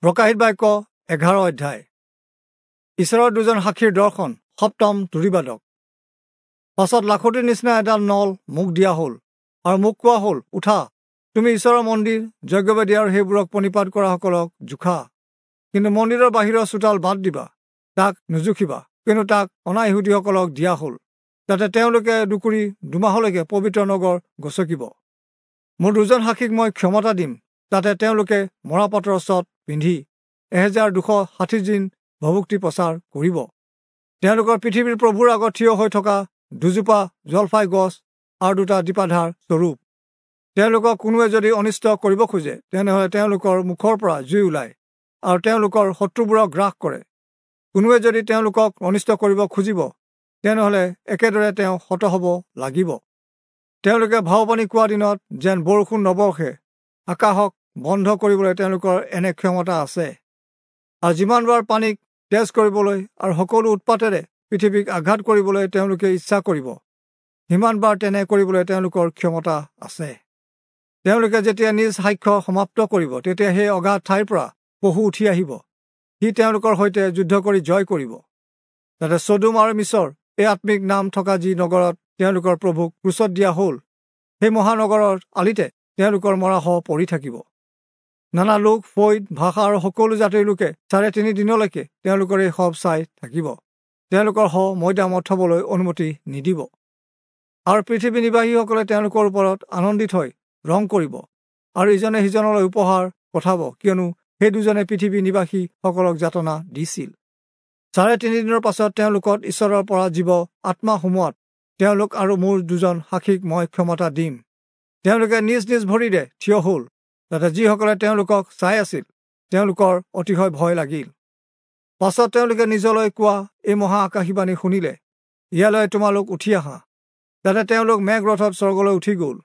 প্ৰকাশিত বাক্য 11 অধ্যায়। ঈশ্বৰৰ দুজন সাক্ষীৰ দৰ্শন, সপ্তম তুৰীবাদক। পাছত লাখুটিৰ নিচিনা এডাল নল মোক দিয়া হ'ল আৰু মোক কোৱা হ'ল, উঠা, তুমি ঈশ্বৰৰ মন্দিৰ, যজ্ঞবেদী আৰু সেইবোৰক প্ৰণিপাত কৰাসকলক জোখা। কিন্তু মন্দিৰৰ বাহিৰৰ চোতাল বাদ দিবা, তাক নুজুখিবা, কিন্তু তাক অনা-ইহুদীসকলক দিয়া হ'ল, যাতে তেওঁলোকে 2 দুমাহলৈকে পবিত্ৰ নগৰ গচকিব। মোৰ দুজন সাক্ষীক মই ক্ষমতা দিম, যাতে তেওঁলোকে মৰাপাটৰ চট পিন্ধি 1260 দিন ভভুক্তি প্ৰচাৰ কৰিব। তেওঁলোকৰ পৃথিৱীৰ প্ৰভুৰ আগত থিয় হৈ থকা দুজোপা জলফাই গছ আৰু দুটা দীপাধাৰ স্বৰূপ। তেওঁলোকক কোনোৱে যদি অনিষ্ট কৰিব খোজে, তেনেহ'লে তেওঁলোকৰ মুখৰ পৰা জুই ওলায় আৰু তেওঁলোকৰ শত্ৰুবোৰক গ্ৰাস কৰে। কোনোৱে যদি তেওঁলোকক অনিষ্ট কৰিব খুজিব, তেনেহ'লে একেদৰে তেওঁ হত হ'ব লাগিব। তেওঁলোকে ভাওবাণী কোৱা দিনত যেন বৰষুণ নবৰ্ষে, আকাশক বন্ধ কৰিবলৈ তেওঁলোকৰ এনে ক্ষমতা আছে। আৰু যিমানবাৰ পানীক তেজ কৰিবলৈ আৰু সকলো উৎপাতেৰে পৃথিৱীক আঘাত কৰিবলৈ তেওঁলোকে ইচ্ছা কৰিব, সিমানবাৰ তেনে কৰিবলৈ তেওঁলোকৰ ক্ষমতা আছে। তেওঁলোকে যেতিয়া নিজ সাক্ষ্য সমাপ্ত কৰিব, তেতিয়া সেই অগাধ ঠাইৰ পৰা পশু উঠি আহিব, সি তেওঁলোকৰ সৈতে যুদ্ধ কৰি জয় কৰিব। তাতে চদোম আৰু মিছৰ এই আত্মিক নাম থকা যি নগৰত তেওঁলোকৰ প্ৰভুক ক্ৰুচত দিয়া হ'ল, সেই মহানগৰৰ আলিতে তেওঁলোকৰ মৰা শৱ পৰি থাকিব। নানা লোক, ফৈদ, ভাষা আৰু সকলো জাতিৰ লোকে 3.5 দিনলৈকে তেওঁলোকৰ এই শৱ চাই থাকিব। তেওঁলোকৰ শৱ মৈদামত থবলৈ অনুমতি নিদিব। আৰু পৃথিৱী নিবাসীসকলে তেওঁলোকৰ ওপৰত আনন্দিত হৈ ৰং কৰিব আৰু ইজনে সিজনলৈ উপহাৰ পঠাব, কিয়নো সেই দুজনে পৃথিৱী নিবাসীসকলক যাতনা দিছিল। 3.5 দিনৰ পাছত তেওঁলোকত ঈশ্বৰৰ পৰা জীৱ আত্মা সোমোৱাত তেওঁলোক আৰু মোৰ দুজন সাক্ষীক মই ক্ষমতা দিম। তেওঁলোকে নিজ নিজ ভৰিৰে থিয় হ'ল, যাতে যিসকলে তেওঁলোকক চাই আছিল তেওঁলোকৰ অতিশয় ভয় লাগিল। পাছত তেওঁলোকে নিজলৈ কোৱা এই মহা আকাশীবাণী শুনিলে, ইয়ালৈ তোমালোক উঠি আহা। যাতে তেওঁলোক মেঘৰথত স্বৰ্গলৈ উঠি গ'ল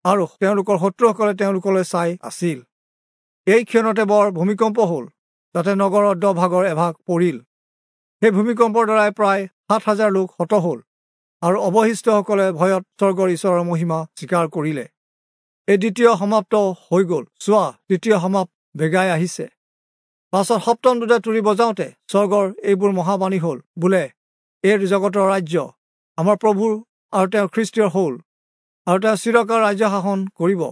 আৰু তেওঁলোকৰ শত্ৰুসকলে তেওঁলোকলৈ চাই আছিল। এই ক্ষণতে বৰ ভূমিকম্প হ'ল, যাতে নগৰৰ 10 ভাগৰ এভাগ পৰিল। সেই ভূমিকম্পৰ দ্বাৰাই প্ৰায় 7000 লোক হত হ'ল আৰু অৱশিষ্টসকলে ভয়ত স্বৰ্গৰ ঈশ্বৰৰ মহিমা স্বীকাৰ কৰিলে। এই দ্বিতীয় সমাপ্ত হৈ গ'ল। চোৱা, তৃতীয় সমাপ্ত বেগাই আহিছে। পাছত সপ্তম দূতে তুৰী বজাওঁতে স্বৰ্গৰ এইবোৰ মহাবাণী হ'ল, বোলে, এই জগতৰ ৰাজ্য আমাৰ প্ৰভুৰ আৰু তেওঁৰ খ্ৰীষ্টীয় হ'ল, আৰু তেওঁ চিৰকাল ৰাজ্য শাসন কৰিব।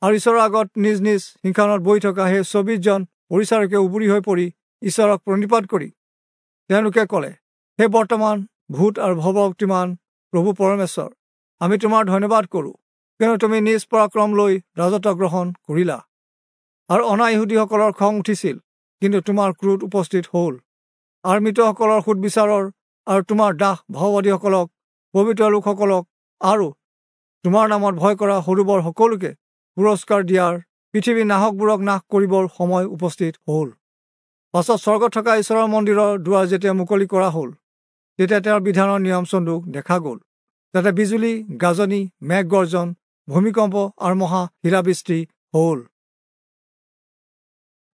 আৰু ঈশ্বৰৰ আগত নিজ নিজ সিংহাসনত বহি থকা সেই 24 জন পৰিচাৰকে উবুৰি হৈ পৰি ঈশ্বৰক প্ৰণিপাত কৰি তেওঁলোকে ক'লে, হে বৰ্তমান, ভূত আৰু ভৱক্তিমান প্ৰভু পৰমেশ্বৰ, আমি তোমাৰ ধন্যবাদ কৰোঁ, কিয়নো তুমি নিজ পৰাক্ৰম লৈ ৰাজত্ব গ্ৰহণ কৰিলা। আৰু অনা-ইহুদীসকলৰ খং উঠিছিল, কিন্তু তোমাৰ ক্ৰোধ উপস্থিত হ'ল, আৰু মৃতসকলৰ সুদবিচাৰৰ আৰু তোমাৰ দাস ভাওবাদীসকলক, পবিত্ৰ লোকসকলক আৰু তোমাৰ নামত ভয় কৰা সৰু বৰ সকলোকে পুৰস্কাৰ দিয়াৰ পৃথিৱীৰ নাহকবোৰক নাশ কৰিবৰ সময় উপস্থিত হ'ল। পাছত স্বৰ্গত থকা ঈশ্বৰৰ মন্দিৰৰ দুৱাৰ যেতিয়া মুকলি কৰা হ'ল, তেতিয়া তেওঁৰ বিধানৰ নিয়ম চন্দুক দেখা গ'ল। তাতে বিজুলী, গাজনি, মেঘ গৰ্জন, ভূমিকম্প আৰু মহা শিলাবৃষ্টি হ'ল।